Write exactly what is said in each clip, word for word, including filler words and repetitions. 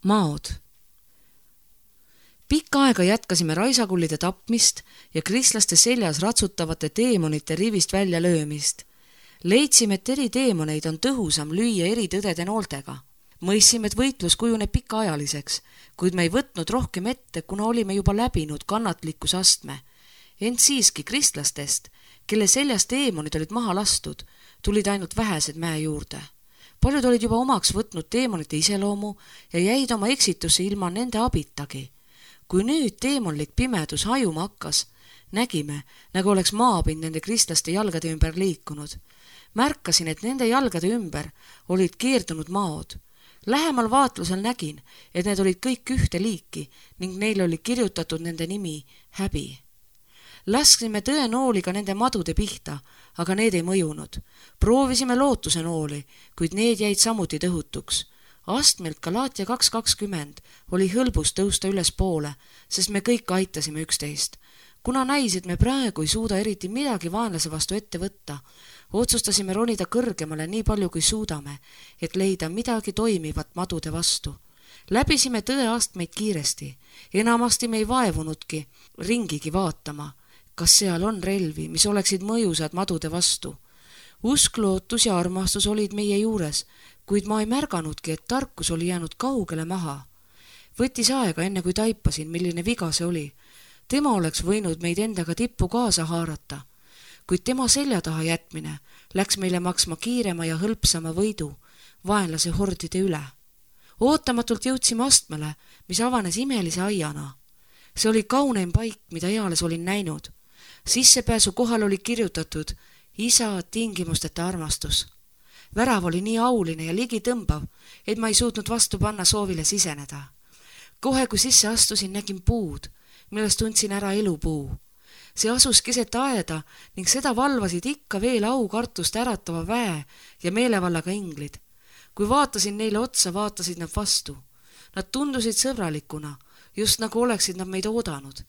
Maod. Pikka aega jätkasime raisakullide tapmist ja kristlaste seljas ratsutavate teemonite rivist välja löömist. Leidsime, et eri teemoneid on tõhusam lüüa eri tõdede nooltega. Mõissime, et võitlus kujuneb pikaajaliseks, kuid me ei võtnud rohkem ette, kuna olime juba läbinud kannatlikkuse astme. Ent siiski kristlastest, kelle seljas teemonid olid maha lastud, tulid ainult vähesed mäe juurde. Paljud olid juba omaks võtnud teemonite iseloomu ja jäid oma eksitusse ilma nende abitagi. Kui nüüd teemonlik pimedus hajuma hakkas, nägime, nagu oleks maapind nende kristlaste jalgade ümber liikunud. Märkasin, et nende jalgade ümber olid keerdunud maod. Lähemal vaatlusel nägin, et need olid kõik ühte liiki ning neil oli kirjutatud nende nimi häbi. Lasksime tõe nooliga nende madude pihta, aga need ei mõjunud. Proovisime lootuse nooli, kuid need jäid samuti tõhutuks. Astmelt Galaatia kaks kakskümmend oli hõlbus tõusta üles poole, sest me kõik aitasime üksteist. Kuna näis, et me praegu ei suuda eriti midagi vaenlase vastu ette võtta, otsustasime ronida kõrgemale nii palju kui suudame, et leida midagi toimivat madude vastu. Läbisime tõe astmeid kiiresti, enamasti me ei vaevunudki ringigi vaatama, kas seal on relvi, mis oleksid mõjusad madude vastu. Usk, lootus ja armastus olid meie juures, kuid ma ei märganudki, et tarkus oli jäänud kaugele maha. Võttis aega enne kui taipasin, milline viga see oli. Tema oleks võinud meid endaga tippu kaasa haarata, kuid tema selja taha jätmine läks meile maksma kiirema ja hõlpsama võidu vaenlase hordide üle. Ootamatult jõudsime astmele, mis avanes imelise aiana. See oli kauneim paik, mida eales olin näinud. Sissepääsu kohal oli kirjutatud isa tingimusteta armastus. Värav oli nii auline ja ligi tõmbav, et ma ei suutnud vastu panna soovile siseneda. Kohe kui sisse astusin, nägin puud, millest tundsin ära elupuu. See asus keset aeda ning seda valvasid ikka veel aukartust äratava väe ja meelevallaga inglid. Kui vaatasin neile otsa, vaatasid nad vastu. Nad tundusid sõbralikuna, just nagu oleksid nad meid oodanud.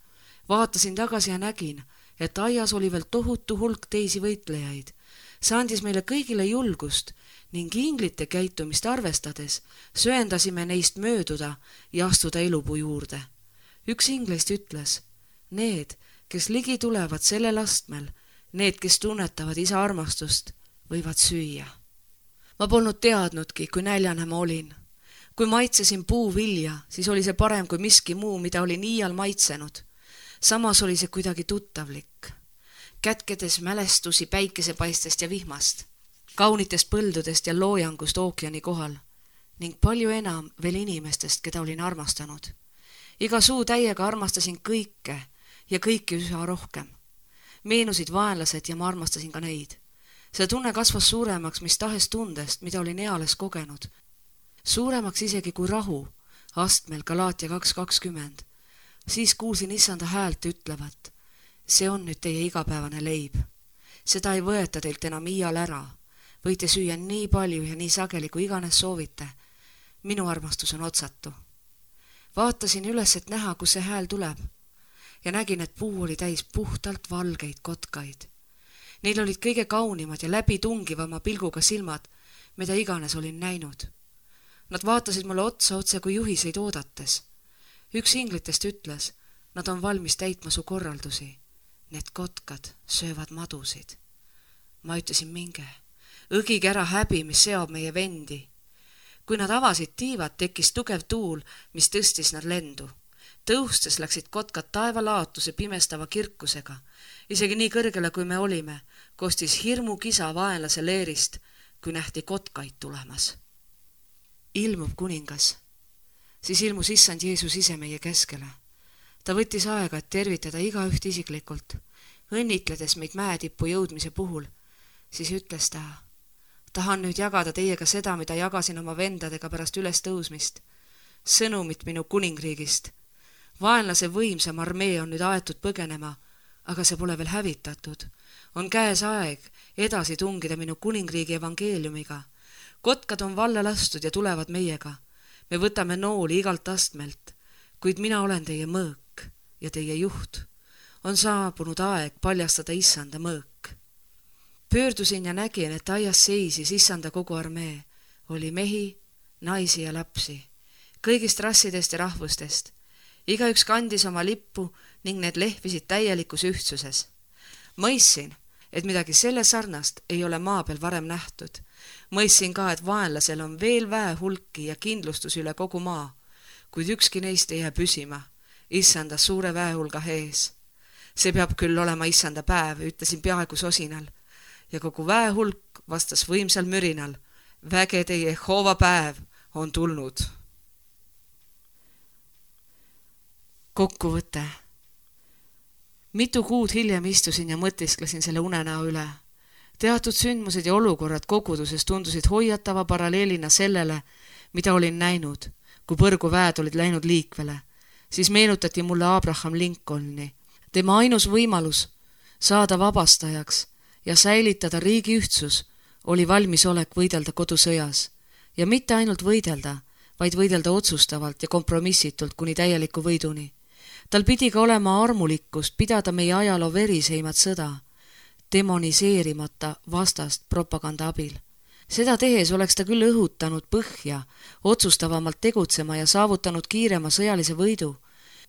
Vaatasin tagasi ja nägin, et aias oli veel tohutu hulk teisi võitlejaid. See andis meile kõigile julgust ning inglite käitumist arvestades söendasime neist mööduda ja astuda elupuu juurde. Üks ingleist ütles, need, kes ligi tulevad sellel astmel, need, kes tunnetavad isa armastust, võivad süüa. Ma polnud teadnudki, kui näljane ma olin. Kui maitsesin puuvilja, siis oli see parem kui miski muu, mida olin iial maitsenud. Samas oli see kuidagi tuttavlik. Kätkedes mälestusi päikesepaistest ja vihmast, kaunitest põldudest ja loojangust ookeani kohal ning palju enam veel inimestest, keda olin armastanud. Iga suu täiega armastasin kõike ja kõiki üha rohkem. Meenusid vaenlased ja ma armastasin ka neid. See tunne kasvas suuremaks mis tahes tundest, mida olin eales kogenud. Suuremaks isegi kui rahu, astmel Galaatia kaks kakskümmend. Siis kuulsin issanda häält ütlevat, see on nüüd teie igapäevane leib. Seda ei võeta teilt enam iial ära. Võite süüa nii palju ja nii sageli, kui iganes soovite. Minu armastus on otsatu. Vaatasin üles, et näha, kus see hääl tuleb ja nägin, et puu oli täis puhtalt valgeid kotkaid. Neil olid kõige kaunimad ja läbi tungivama pilguga silmad, mida iganes olin näinud. Nad vaatasid mulle otsa otse kui juhiseid oodates. Üks inglitest ütles, nad on valmis täitma su korraldusi. Need kotkad söövad madusid. Ma ütlesin minge, õgige ära häbi, mis seob meie vendi. Kui nad avasid tiivad, tekkis tugev tuul, mis tõstis nad lendu. Tõustes läksid kotkad taevalaotuse pimestava kirkusega. Isegi nii kõrgele, kui me olime, kostis hirmu kisa vaenlase leerist, kui nähti kotkaid tulemas. Ilmub kuningas. Siis ilmus issand Jeesus ise meie keskele. Ta võttis aega, et tervitada igaüht isiklikult, õnnitledes meid mäetippu jõudmise puhul. Siis ütles ta, tahan nüüd jagada teiega seda, mida jagasin oma vendadega pärast üles tõusmist. Sõnumit minu kuningriigist. Vaenlase võimsam armee on nüüd aetud põgenema, aga see pole veel hävitatud. On käes aeg edasi tungida minu kuningriigi evangeeliumiga. Kotkad on valla lastud ja tulevad meiega. Me võtame nooli igalt astmelt, kuid mina olen teie mõõk ja teie juht. On saabunud aeg paljastada issanda mõõk. Pöördusin ja nägin, et aias seisis issanda kogu armee. Oli mehi, naisi ja lapsi. kõigist rassidest ja rahvustest. Igaüks kandis oma lippu ning need lehvisid täielikus ühtsuses. Mõistsin, et midagi selle sarnast ei ole maa peal varem nähtud. Mõistsin ka, et vaenlasel on veel väe hulki ja kindlustus üle kogu maa, kuid ükski neist ei jää püsima, issanda suure väehulga ees. See peab küll olema issanda päev, ütlesin peaaegu sosinal, ja kogu väehulk vastas võimsal mürinal. Vägede Jehova päev on tulnud. Kokkuvõte. Mitu kuud hiljem istusin ja mõtisklesin selle unenäo üle. Teatud sündmused ja olukorrad koguduses tundusid hoiatava paralleelina sellele, mida olin näinud, kui põrgu väed olid läinud liikvele. Siis meenutati mulle Abraham Lincolni. Tema ainus võimalus saada vabastajaks ja säilitada riigi ühtsus oli valmisolek võidelda kodusõjas. Ja mitte ainult võidelda, vaid võidelda otsustavalt ja kompromissitult kuni täieliku võiduni. Tal pidi ka olema armulikkust pidada meie ajaloo veriseimat sõda, demoniseerimata vastast propaganda abil. Seda tehes oleks ta küll õhutanud põhja, otsustavamalt tegutsema ja saavutanud kiirema sõjalise võidu,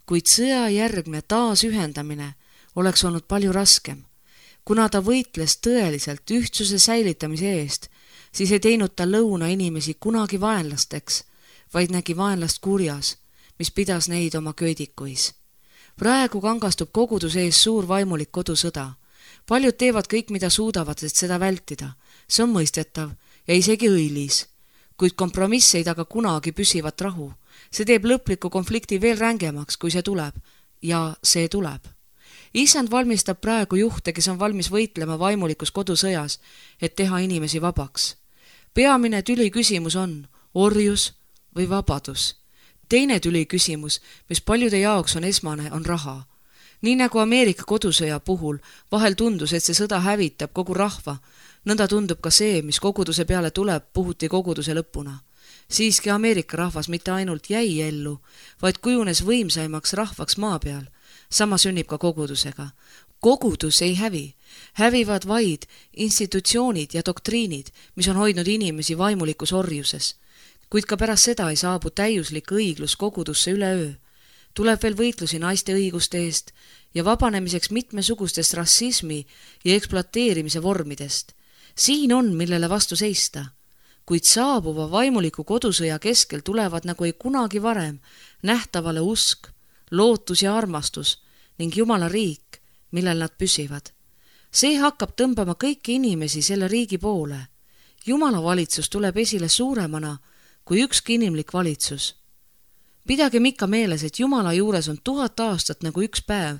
kuid sõjajärgne taasühendamine oleks olnud palju raskem. Kuna ta võitles tõeliselt ühtsuse säilitamise eest, siis ei teinud ta lõuna inimesi kunagi vaenlasteks, vaid nägi vaenlast kurjas, mis pidas neid oma köödikuis. Praegu kangastub koguduse ees suur vaimulik kodusõda. Paljud teevad kõik, mida suudavad, et seda vältida. See on mõistetav ja isegi õilis, kuid kompromiss ei taga kunagi püsivat rahu. See teeb lõpliku konflikti veel rängemaks, kui see tuleb. Ja see tuleb. Issand valmistab praegu juhte, kes on valmis võitlema vaimulikus kodusõjas, et teha inimesi vabaks. Peamine tüli küsimus on orjus või vabadus. Teine tüli küsimus, mis paljude jaoks on esmane, on raha. Nii nagu Ameerika kodusõja puhul vahel tundus, et see sõda hävitab kogu rahva, nõnda tundub ka see, mis koguduse peale tuleb, puhuti koguduse lõpuna. Siiski Ameerika rahvas mitte ainult jäi ellu, vaid kujunes võimsaimaks rahvaks maa peal. Sama sünnib ka kogudusega. Kogudus ei hävi. Hävivad vaid institutsioonid ja doktriinid, mis on hoidnud inimesi vaimulikus orjuses. Kuid ka pärast seda ei saabu täiuslik õiglus kogudusse üleöö. Tuleb veel võitlusi naiste õiguste eest ja vabanemiseks mitmesugustest rassismi ja ekspluateerimise vormidest. Siin on, millele vastu seista. Kuid saabuva vaimuliku kodusõja keskel tulevad nagu ei kunagi varem nähtavale usk, lootus ja armastus ning Jumala riik, millel nad püsivad. See hakkab tõmbama kõiki inimesi selle riigi poole. Jumala valitsus tuleb esile suuremana kui ükski inimlik valitsus. Pidagem ikka meeles, et Jumala juures on tuhat aastat nagu üks päev.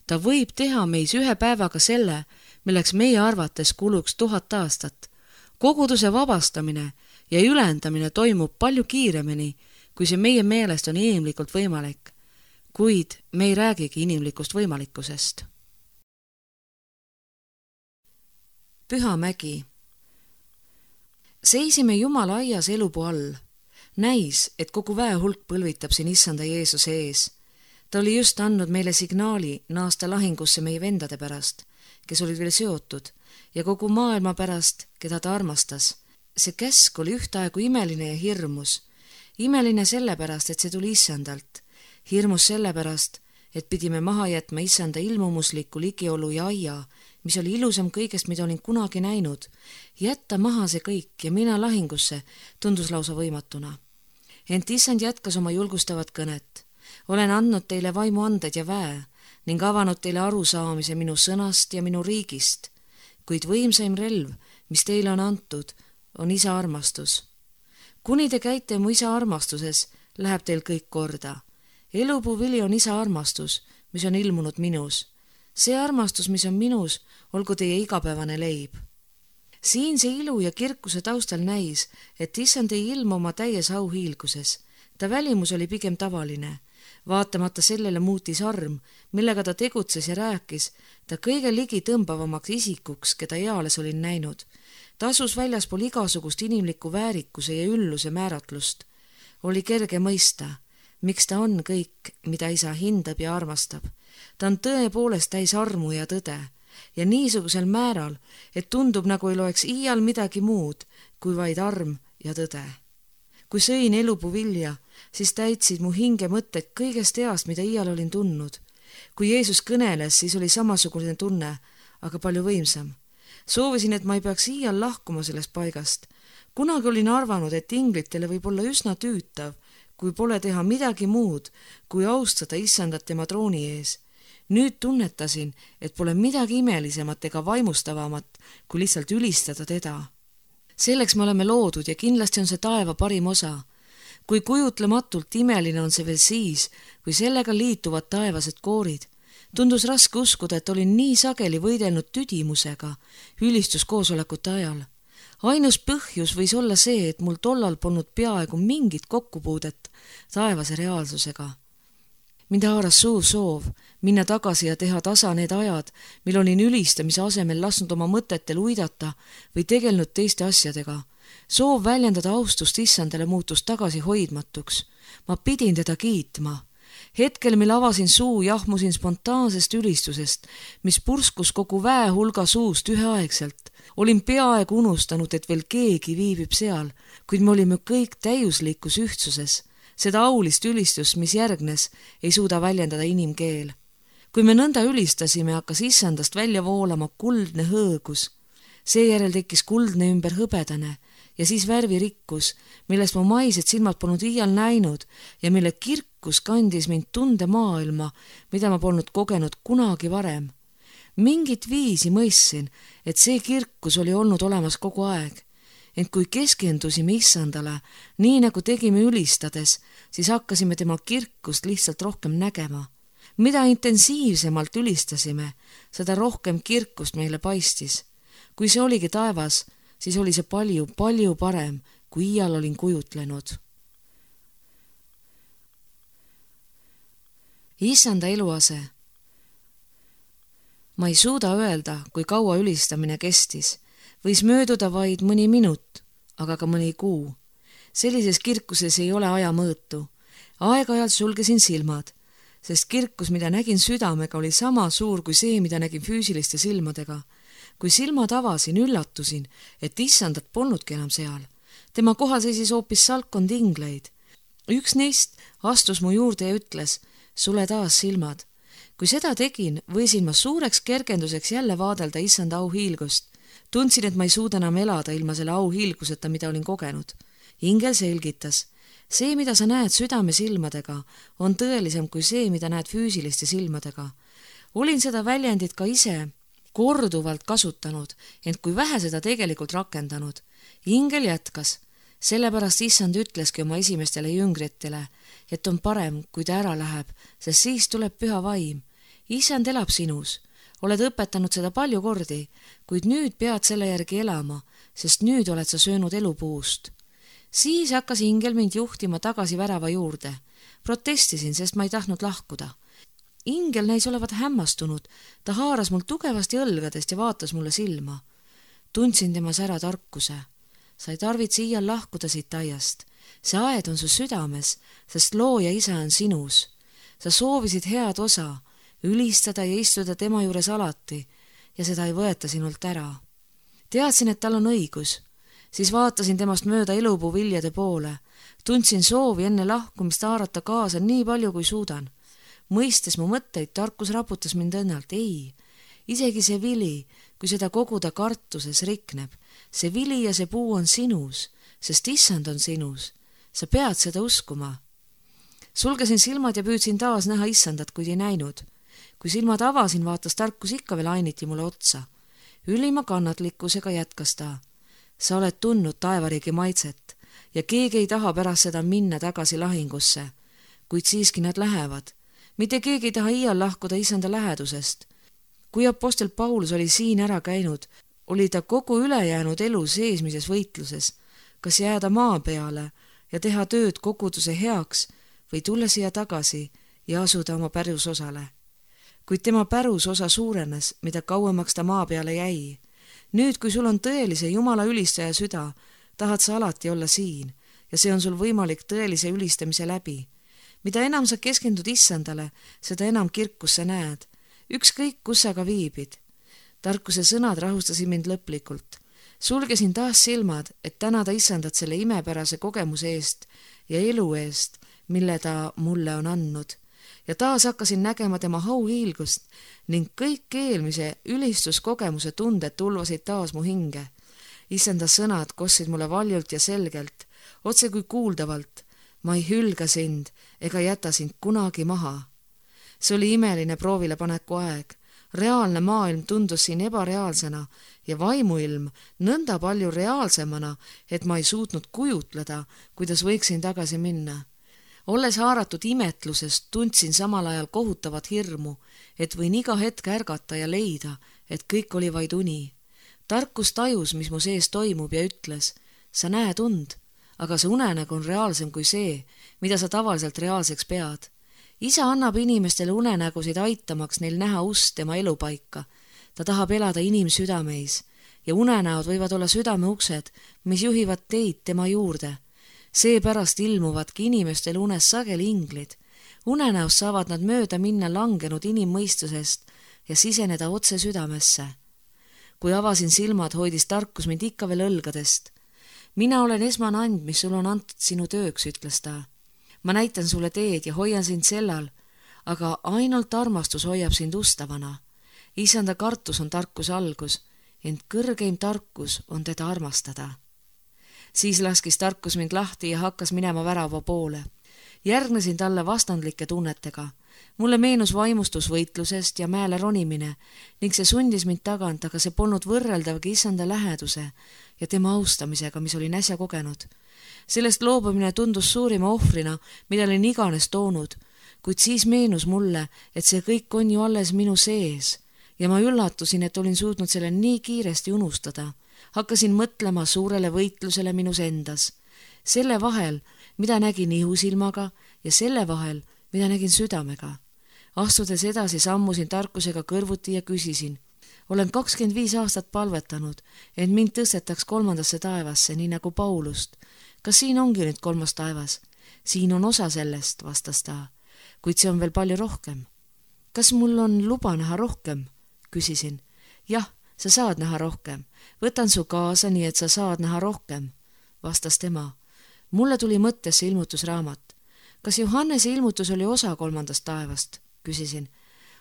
Ta võib teha meis ühe päevaga selle, milleks meie arvates kuluks tuhat aastat. Koguduse vabastamine ja ülendamine toimub palju kiiremini, kui see meie meelest on inimlikult võimalik. Kuid me ei räägigi inimlikust võimalikkusest. Püha mägi. Seisime Jumala aias elupuu all. Näis, et kogu väehulk põlvitab siin issanda Jeesuse ees. Ta oli just andnud meile signaali naasta lahingusse meie vendade pärast, kes olid veel seotud, ja kogu maailma pärast, keda ta armastas. See käsk oli ühtaegu imeline ja hirmus. Imeline sellepärast, et see tuli issandalt. Hirmus sellepärast, et pidime maha jätma issanda ilmumusliku ligiolu ja aia, mis oli ilusam kõigest, mida olin kunagi näinud. Jätta maha see kõik ja mina lahingusse tundus lausa võimatuna. Ent issand jätkas oma julgustavat kõnet. Olen andnud teile vaimuanded ja väe ning avanud teile arusaamise minu sõnast ja minu riigist, kuid võimsaim relv, mis teile on antud, on isa armastus. Kuni te käite mu isa armastuses, läheb teil kõik korda. Elupuu vili on isa armastus, mis on ilmunud minus. See armastus, mis on minus, olgu teie igapäevane leib. Siin see ilu ja kirkuse taustal näis, et issand ei ilmu oma täies auhiilguses. Ta välimus oli pigem tavaline. Vaatamata sellele muutis arm, millega ta tegutses ja rääkis, ta kõige ligi tõmbavamaks isikuks, keda eales olin näinud. Ta asus väljaspool igasugust inimliku väärikuse ja ülluse määratlust. Oli kerge mõista, miks ta on kõik, mida isa hindab ja armastab. Ta on tõepoolest täis armu ja tõde ja niisugusel määral, et tundub nagu ei loeks iial midagi muud kui vaid arm ja tõde. kui sõin elupuu vilja, siis täitsid mu hinge mõtted kõigest heast, mida iial olin tundnud. kui Jeesus kõneles, siis oli samasugune tunne, aga palju võimsam. Soovisin, et ma ei peaks iial lahkuma sellest paigast. Kunagi olin arvanud, et inglitele võib olla üsna tüütav, kui pole teha midagi muud, kui austada issandat tema trooni ees. Nüüd tunnetasin, et pole midagi imelisemat ega vaimustavamat, kui lihtsalt ülistada teda. Selleks me oleme loodud ja kindlasti on see taeva parim osa. Kui kujutlematult imeline on see veel siis, kui sellega liituvad taevased koorid. Tundus raske uskuda, et olin nii sageli võidelnud tüdimusega ülistuskoosolekute ajal. Ainus põhjus võis olla see, et mul tollal polnud peaaegu mingit kokkupuudet taevase reaalsusega. Mind haaras suur soov minna tagasi ja teha tasa need ajad, mil olin ülistamise asemel lasknud oma mõtetel uidata või tegelnud teiste asjadega. Soov väljendada austust issandale muutus tagasi hoidmatuks. Ma pidin teda kiitma. Hetkel, mil avasin suu, jahmusin spontaansest ülistusest, mis purskus kogu väe hulga suust üheaegselt. Olin peaaegu unustanud, et veel keegi viibib seal, kuid me olime kõik täiuslikus ühtsuses. Seda aulist ülistust, mis järgnes, ei suuda väljendada inimkeel. Kui me nõnda ülistasime, hakkas issandast välja voolama kuldne hõõgus. Seejärel tekkis kuldne ümber hõbedane ja siis värvirikkus, millest mu maised silmad polnud iial näinud ja mille kirkus kandis mind tunde maailma, mida ma polnud kogenud kunagi varem. Mingit viisi mõistsin, et see kirkus oli olnud olemas kogu aeg. Ent kui keskendusime issandale, nii nagu tegime ülistades, siis hakkasime tema kirkust lihtsalt rohkem nägema. Mida intensiivsemalt ülistasime, seda rohkem kirkust meile paistis. Kui see oligi taevas, siis oli see palju, palju parem, kui iial olin kujutlenud. Issanda eluase. Ma ei suuda öelda, kui kaua ülistamine kestis. Võis mööduda vaid mõni minut, aga ka mõni kuu. Sellises kirkuses ei ole aja mõõtu. Aeg-ajalt sulgesin silmad, sest kirkus, mida nägin südamega, oli sama suur kui see, mida nägin füüsiliste silmadega. Kui silmad avasin, üllatusin, et issandat polnudki enam seal. Tema kohal seisis hoopis salkond ingleid. Üks neist astus mu juurde ja ütles, sule taas silmad. Kui seda tegin, võisin ma suureks kergenduseks jälle vaadelda issanda auhiilgust. Tundsin, et ma ei suuda enam elada ilma selle auhiilguseta, mida olin kogenud. Ingel selgitas, see, mida sa näed südame silmadega, on tõelisem kui see, mida näed füüsiliste silmadega. Olin seda väljendit ka ise korduvalt kasutanud, ent kui vähe seda tegelikult rakendanud. Ingel jätkas, sellepärast issand ütleski oma esimestele jüngritele, et on parem, kui ta ära läheb, sest siis tuleb püha vaim. Issand elab sinus. Oled õpetanud seda palju kordi, kuid nüüd pead selle järgi elama, sest nüüd oled sa söönud elupuust. Siis hakkas ingel mind juhtima tagasi värava juurde. Protestisin, sest ma ei tahtnud lahkuda. Ingel näis olevat hämmastunud, ta haaras mul tugevasti õlgadest ja vaatas mulle silma. Tundsin temas ära tarkuse. Sa ei tarvitse iial lahkuda siit aiast. See aed on su südames, sest looja isa on sinus. Sa soovisid head osa, ülistada ja istuda tema juures alati ja seda ei võeta sinult ära. Teadsin, et tal on õigus. Siis vaatasin temast mööda elupuu viljade poole. Tundsin soovi enne lahkumist haarata kaasa nii palju, kui suudan. Mõistes mu mõtteid, tarkus raputas mind õnnalt. Ei, isegi see vili, kui seda koguda kartuses rikneb. See vili ja see puu on sinus, sest issand on sinus. Sa pead seda uskuma. Sulgesin silmad ja püüdsin taas näha issandat, kuid ei näinud. Kui silmad avasin, vaatas tarkus ikka veel ainiti mulle otsa. Ülima kannatlikkusega jätkas ta. Sa oled tundnud taevariigi maitset ja keegi ei taha pärast seda minna tagasi lahingusse, kuid siiski nad lähevad. Mitte keegi ei taha iial lahkuda issanda lähedusest. Kui apostel Paulus oli siin ära käinud, oli ta kogu ülejäänud elu seesmises võitluses, kas jääda maa peale ja teha tööd koguduse heaks või tulla siia tagasi ja asuda oma pärusosale. Kuid tema pärusosa suurenes, mida kauemaks ta maa peale jäi. Nüüd, kui sul on tõelise Jumala ülistaja süda, tahad sa alati olla siin ja see on sul võimalik tõelise ülistamise läbi. Mida enam sa keskendud issandale, seda enam kirkus sa näed. Ükskõik, kus sa ka viibid. Tarkuse sõnad rahustasid mind lõplikult. sulgesin taas silmad, et tänada issandat selle imepärase kogemuse eest ja elu eest, mille ta mulle on andnud. Ja taas hakkasin nägema tema hauhiilgust ning kõik eelmise ülistuskogemuse tunded tulvasid taas mu hinge. Issanda sõnad kostsid mulle valjult ja selgelt, otse kui kuuldavalt. Ma ei hülga sind ega jäta sind kunagi maha. See oli imeline proovilepaneku aeg. Reaalne maailm tundus siin ebareaalsena ja vaimuilm nõnda palju reaalsemana, et ma ei suutnud kujutleda, kuidas võiksin tagasi minna. Olles haaratud imetlusest, tundsin samal ajal kohutavat hirmu, et võin iga hetk ärgata ja leida, et kõik oli vaid uni. Tarkus tajus, mis mu sees toimub ja ütles, sa näed und, aga see unenägu on reaalsem kui see, mida sa tavaliselt reaalseks pead. Isa annab inimestele unenägusid aitamaks neil näha ust tema elupaika. Ta tahab elada inimsüdameis ja unenäod võivad olla südameuksed, mis juhivad teid tema juurde. Seepärast ilmuvadki inimestel unes sageli inglid. Unenäos saavad nad mööda minna langenud inimmõistusest ja siseneda otse südamesse. Kui avasin silmad, hoidis tarkus mind ikka veel õlgadest. Mina olen esmane and, mis sul on antud sinu tööks, ütles ta. Ma näitan sulle teed ja hoian sind sellal, aga ainult armastus hoiab sind ustavana. Isanda kartus on tarkus algus, ent kõrgeim tarkus on teda armastada. Siis laskis tarkus mind lahti ja hakkas minema värava poole. Järgnesin talle vastandlike tunnetega. Mulle meenus vaimustus võitlusest ja mäele ronimine ning see sundis mind tagant, aga see polnud võrreldavgi Issanda läheduse ja tema austamisega, mis olin äsja kogenud. Sellest loobumine tundus suurima ohvrina, mida olin iganes toonud, kuid siis meenus mulle, et see kõik on ju alles minu sees ja ma üllatusin, et olin suutnud selle nii kiiresti unustada. Hakkasin mõtlema suurele võitlusele minus endas, selle vahel, mida nägin ihusilmaga ja selle vahel, mida nägin südamega. Astudes edasi sammusin tarkusega kõrvuti ja küsisin. Olen kakskümmend viis aastat palvetanud, et mind tõstetaks kolmandasse taevasse, nii nagu Paulust. Kas siin ongi nüüd kolmas taevas? Siin on osa sellest, vastas ta, kuid see on veel palju rohkem. Kas mul on luba näha rohkem? Küsisin. Jah, sa saad näha rohkem. Võtan su kaasa, nii et sa saad näha rohkem, vastas tema. Mulle tuli mõttesse ilmutusraamat. Kas Johannese ilmutus oli osa kolmandast taevast? Küsisin.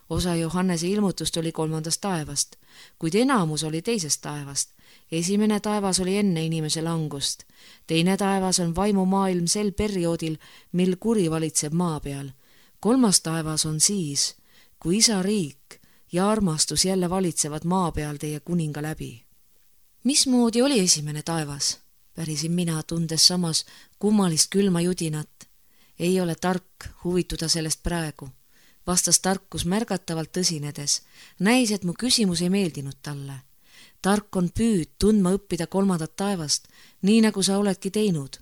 Osa Johannese ilmutust oli kolmandast taevast, kuid enamus oli teisest taevast. Esimene taevas oli enne inimese langust. Teine taevas on vaimumaailm sel perioodil, mil kuri valitseb maa peal. Kolmas taevas on siis, kui isa riik ja armastus jälle valitsevad maa peal teie kuninga läbi. Mismoodi oli esimene taevas? Pärisin mina, tundes samas kummalist külma judinat. Ei ole tark huvituda sellest praegu, vastas tarkus märgatavalt tõsinedes. Näis, et mu küsimus ei meeldinud talle. Tark on püüd tundma õppida kolmandat taevast, nii nagu sa oledki teinud.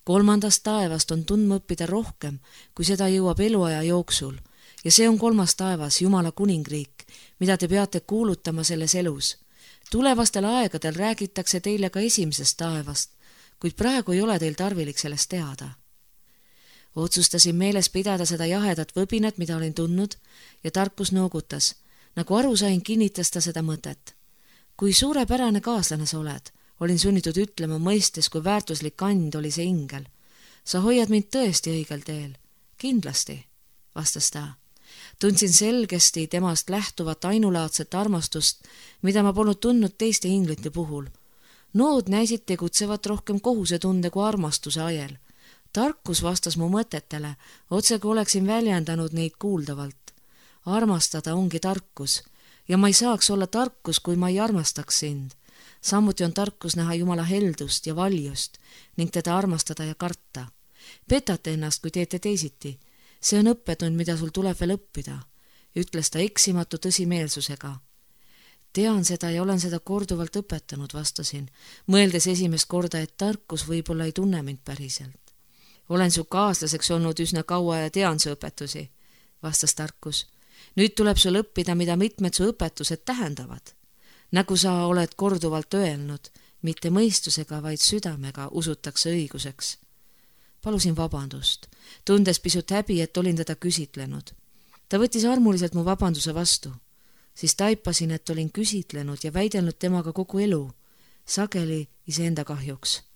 Kolmandast taevast on tundma õppida rohkem, kui seda jõuab eluaja jooksul. Ja see on kolmas taevas, Jumala kuningriik, mida te peate kuulutama selles elus. Tulevastel aegadel räägitakse teile ka esimesest taevast, kuid praegu ei ole teil tarvilik sellest teada. Otsustasin meeles pidada seda jahedat võbinat, mida olin tundnud, ja tarkus noogutas. Nagu aru sain, kinnitas ta seda mõtet. Kui suurepärane kaaslane sa oled, olin sunnitud ütlema mõistes, kui väärtuslik and oli see ingel. Sa hoiad mind tõesti õigel teel. Kindlasti, vastas ta. Tundsin selgesti temast lähtuvat ainulaadset armastust, mida ma polnud tundnud teiste inglite puhul. Nood näisid tegutsevat rohkem kohusetunde kui armastuse ajel. Tarkus vastas mu mõtetele, otse kui oleksin väljendanud neid kuuldavalt. Armastada ongi tarkus ja ma ei saaks olla tarkus, kui ma ei armastaks sind. Samuti on tarkus näha Jumala heldust ja valjust ning teda armastada ja karta. Petate ennast, kui teete teisiti. See on õppetund, mida sul tuleb veel õppida, ütles ta eksimatu tõsimeelsusega. Tean seda ja olen seda korduvalt õpetanud, vastasin, mõeldes esimest korda, et tarkus võib-olla ei tunne mind päriselt. Olen su kaaslaseks olnud üsna kaua ja tean su õpetusi, vastas tarkus. Nüüd tuleb sul õppida, mida mitmed su õpetused tähendavad. Nagu sa oled korduvalt öelnud, mitte mõistusega, vaid südamega usutakse õiguseks. Palusin vabandust, tundes pisut häbi, et olin teda küsitlenud. Ta võttis armuliselt mu vabanduse vastu. Siis taipasin, et olin küsitlenud ja väidelnud temaga kogu elu. sageli iseenda kahjuks.